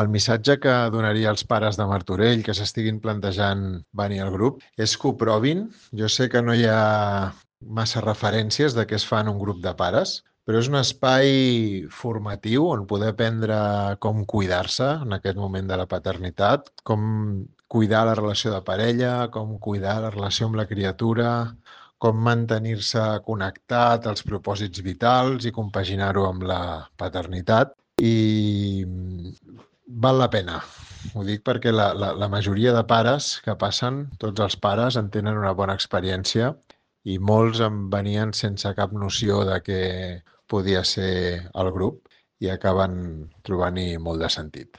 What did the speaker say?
El missatge que donaria als pares de Martorell que s'estiguin plantejant venir al grup és que ho provin. Jo sé que no hi ha massa referències de què es fa en un grup de pares, però és un espai formatiu on poder aprendre com cuidar-se en aquest moment de la paternitat, com cuidar la relació de parella, com cuidar la relació amb la criatura, com mantenir-se connectat als propòsits vitals i compaginar-ho amb la paternitat. I val la pena. Ho dic perquè la majoria de pares que passen, tots els pares en tenen una bona experiència i molts en venien sense cap noció de què podia ser el grup i acaben trobant-hi molt de sentit.